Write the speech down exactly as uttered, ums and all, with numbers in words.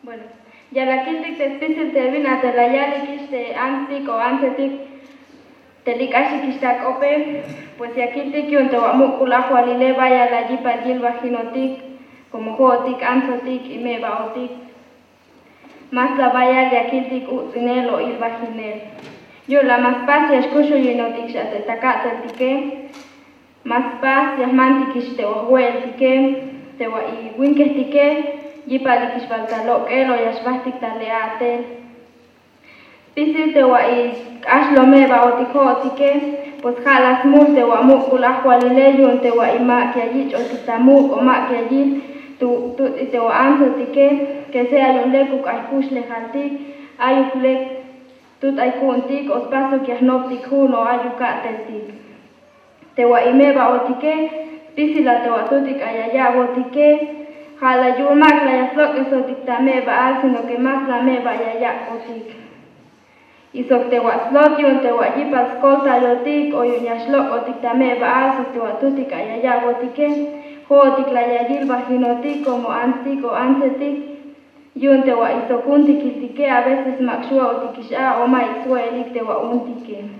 Bueno, ya la kiltik te spisil te bin a te la yalik ix te antstik o antsetik te li k'axik ix ta k'ope. Pues ya kiltik yu'un te wa muk'ul ajwalile bayal la yipal yilbajinotik, komo jo'otik antsotik y me'ba'otik. Mas la bayal ya kiltik uts'inel o ilbajinel. Yu'un la ma spas ya xkuxuyinotik xa te ta ka'teltike. Ma spas ya jmantikix te wa jwe'eltike, te wa iwinkehtike yipalikix bal ta lok'el o ya xbajtik ta le a'tel. Spisil te wa ik'ax lo me'ba'otik jo'otike. Pues ja' la smul te wa muk'ul ajwalile yu'un te wa imak ya yich'otik ta muk' o mak ya yil tu' tuts'i te wa antsotike. Kese ay un lekuk ay kuxlejaltik, ayuk lek tut ay ku'untik o spasuk ya jnoptik ju'un o ayuk ka'teltik. Te wa ime'ba'otike, spisila te wa tutik ay ya ya'botike. Ja' la yu'un mak la ya slok'esotik ta me'ba'al sino ke mas la me'ba' ya yak'botik. Y sok te wa slot yu'un te wa yipal skoltayotik o yu'un ya xlok'otik ta me'ba'al sok te wa tutik ay ya ya'botike, jo'otik la ya yilbajinotik komo antstik o antsetik. Yu'un te wa isok juntikiltike a veces mak xwe'otikix a o ma ik swe'elik te wa untike.